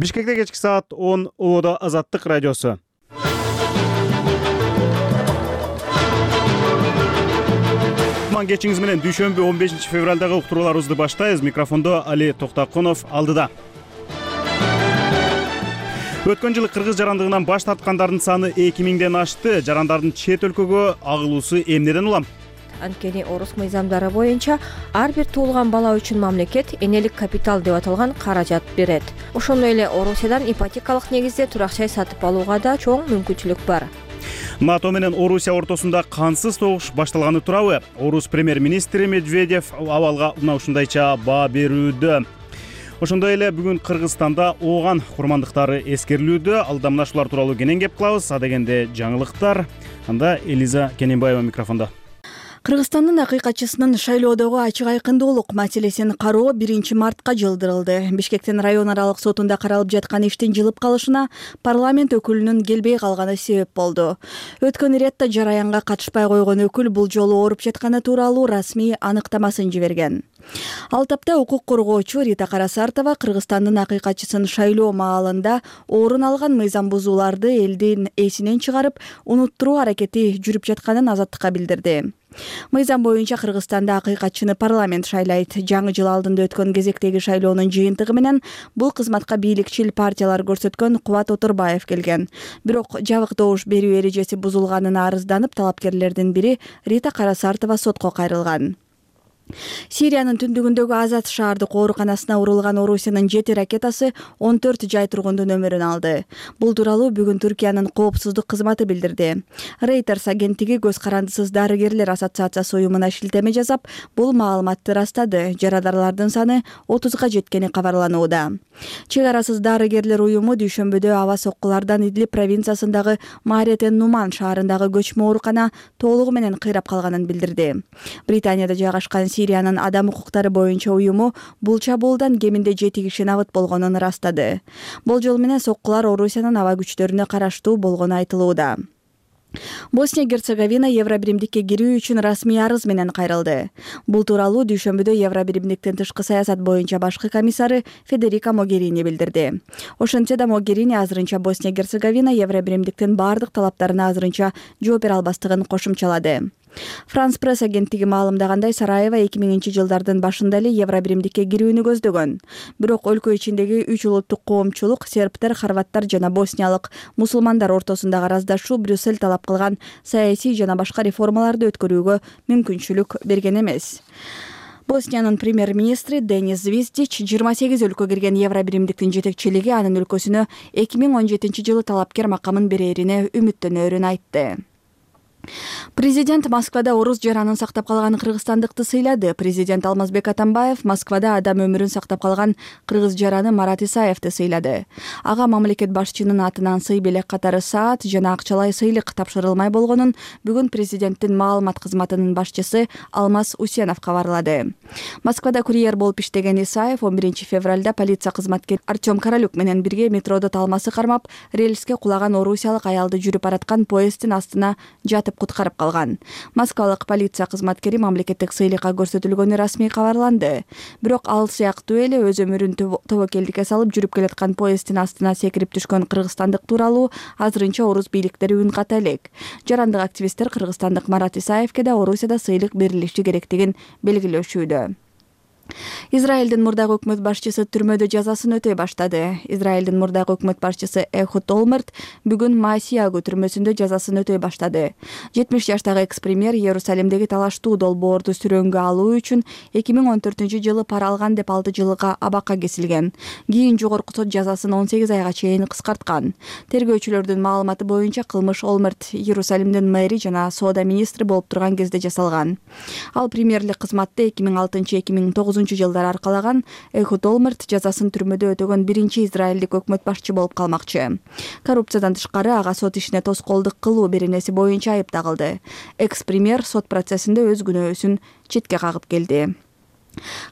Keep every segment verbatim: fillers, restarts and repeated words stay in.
Бишкекте кечки саат он Ободо Азаттык радиосу. Кутман кечиңиз менен дүйшөмбү он бешинчи февралдагы уктурууларыбызды баштайбыз. Микрофондо Али Токтокунов алдыда. Өткөн жылы кыргыз жарандыгынан баш тарткандардын саны эки миңден ашты. Жарандардын чет өлкөгө агылуусу эмнеден улам? Анткени орус мыйзамдары боюнча ар бир туулган бала үчүн мамлекет энелик капитал деп аталган каражат берет. Ошондой эле Орусиядан ипотекалык негизде турак жай сатып алууга да чоң мүмкүнчүлүк бар. НАТО менен Орусия ортосунда кансыз согуш башталганы туурабы? Орус премьер-министри Медведев абалга мына ушундайча баа берүүдө. Ошондой эле бүгүн Кыргызстанда ооган курмандыктары эскерилүүдө. Алда мына ушулар тууралуу кенен кеп кылабыз. А дегенде жаңылыктар. Анда Элиза Кененбаева микрофондо. Кыргызстандын акыйкатчысынын шайлоодогу ачык айкындуулук маселесин кароо биринчи мартка жылдырылды. Бишкектин район аралык сотунда каралып жаткан иштин жылып калышына парламент өкүлүнүн келбей калганы себеп болду. Өткөн иретте жараянга катышпай койгон өкүл бул жолу ооруп жатканы тууралуу расмий аныктамасын жиберген. Ал тапта укук коргоочу Рита Карасартова Кыргызстандын акыйкатчысын шайлоо маалында орун алган мыйзам бузууларды элдин эсинен чыгарып, унуттуруу аракети жүрүп жатканын Азаттыкка билдирди. Мыйзам боюнча Кыргызстанда акыйкатчыны парламент шайлайт. Жаңы жыл алдында өткөн кезектеги шайлоонун жыйынтыгы менен бул кызматка бийликчил партиялар көрсөткөн Кубат Отурбаев келген. Бирок жабык добуш берүү эрежеси бузулганына арызданып, талапкерлердин бири Рита Карасартова сотко кайрылган. Сириянын түндүгүндөгү Азат шаардык ооруканасына урулган Орусиянын жети ракетасы он төрт жай тургундун өмүрүн алды. Бул тууралуу бүгүн Түркиянын коопсуздук кызматы билдирди. Reuters агенттиги Көз карандысыз дарыгерлер ассоциациясы уюмуна шилтеме жасап, бул маалыматты ырастады. Жарадарлардын саны отузга жеткени кабарланууда. Чек арасыз дарыгерлер уюму дүйшөмбүдө аба соккулардан Идлиб провинциясындагы Маретен Нуман шаарындагы көчмө оорукана толугу менен кыйрап калганын билдирди. Британияда жайгашкан Сириянын адам укуктары боюнча уюму бул чабуулдан кеминде жети киши набыт болгонун ырастады. Болжол менен соккулар Орусиянын аба күчтөрүнө караштуу болгону айтылууда. Босния-Герцеговина Евробиримдикке кирүү үчүн расмий арыз менен кайрылды. Бул тууралуу дүйшөмбүдө Евробиримдиктин тышкы саясат боюнча башкы комиссары Федерика Могерини билдирди. Ошентсе да Могерини азырынча Босния-Герцеговина Евробиримдиктин бардык талаптарына азырынча жооп бере албастыгын кошумчалады. Франс пресс агенттиги маалымдагандай, Сараева эки миңинчи жылдардын башында эле Евробиримдикке кирүүнү көздөгөн. Бирок өлкө ичиндеги үч улуттук коомчулук, сербтер, хорваттар жана босниялык мусулмандар ортосундагы араздашуу Брюссель талап кылган саясий жана башка реформаларды өткөрүүгө мүмкүнчүлүк берген эмес. Босниянын премьер-министри Денис Звиздич жыйырма сегиз өлкө кирген Евробиримдиктин жетекчилиги анын өлкөсүнө эки миң он жетинчи жылы талапкер макамын берерине үмүттөнөрүн айтты. Президент Москвада орус жаранын сактап калган кыргызстандыкты сыйлады. Президент Алмазбек Атамбаев Москвада адам өмүрүн сактап калган кыргыз жараны Марат Исаевди сыйлады. Ага мамлекет башчынын атынан сый белек катары саат жана акчалай сыйлык тапшырылмай болгонун бүгүн президенттин маалымат кызматынын башчысы Алмаз Усенов кабарлады. Москвада курьер болуп иштеген Исаев он биринчи февралда полиция кызматкери Артем Королюк менен бирге метродо талмасы кармап, рельске кулаган орусиялык аялды жүрүп бараткан поезддин астына жатып куткарып калган. Москвалык полиция кызматкери мамлекеттик сыйлыкка көрсөтүлгөнү расмий кабарланды. Бирок ал сыяктуу эле өз өмүрүн тобокелдикке салып жүрүп келаткан поезддин астына секирип түшкөн кыргызстандык тууралуу азырынча орус бийликтери үн ката элек. Жарандык активисттер кыргызстандык Марат Исаевке да Орусияда сыйлык берилиши керектигин белгилешүүдө. Израилдин мурдагы өкмөт башчысы түрмөдө жазасын өтөй баштады. Израилдин мурдагы өкмөт башчысы Эхуд Олмерт бүгүн Маасиягу түрмөсүндө жазасын өтөй баштады. жетимиш жаштагы экс-премьер Иерусалимдеги талаштуу долбоорду сүрөнгө алуу үчүн эки миң он төртүнчү жылы пара алган деп алты жылга абакка кесилген. Кийин жогорку сот жазасын он сегиз айга чейин кыскарткан. Тергөөчүлөрдүн маалыматы боюнча кылмыш Олмерт Иерусалимдин мэри жана соода министри болуп турган кезде жасалган. Ал премьерлик кызматты эки миң алтынчы эки миң тогузунчу жылдары аркалаган. Эхуд Олмерт жазасын түрмөдө өтөгөн биринчи израилдик өкмөт башчы болуп калмакчы. Коррупциядан тышкары ага сот ишине тоскоолдук кылуу беренеси боюнча айып тагылды. Экс-премьер сот процессинде өз күнөөсүн четке кагып келди.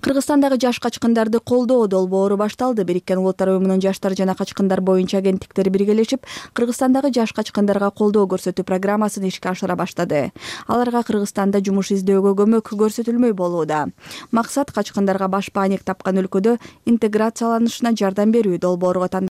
Кыргызстандагы жаш качкындарды колдоо долбоору башталды. Бириккен Улуттар уюмунун жаштар жана качкындар боюнча агенттиктери биргелешип, Кыргызстандагы жаш качкындарга колдоо көрсөтүү программасын ишке ашыра баштады. Аларга Кыргызстанда жумуш издөөгө көмөк көрсөтүлмөй болууда. Максат качкындарга баш бааник тапкан өлкөдө интеграцияланышына жардам берүү. Долбоорго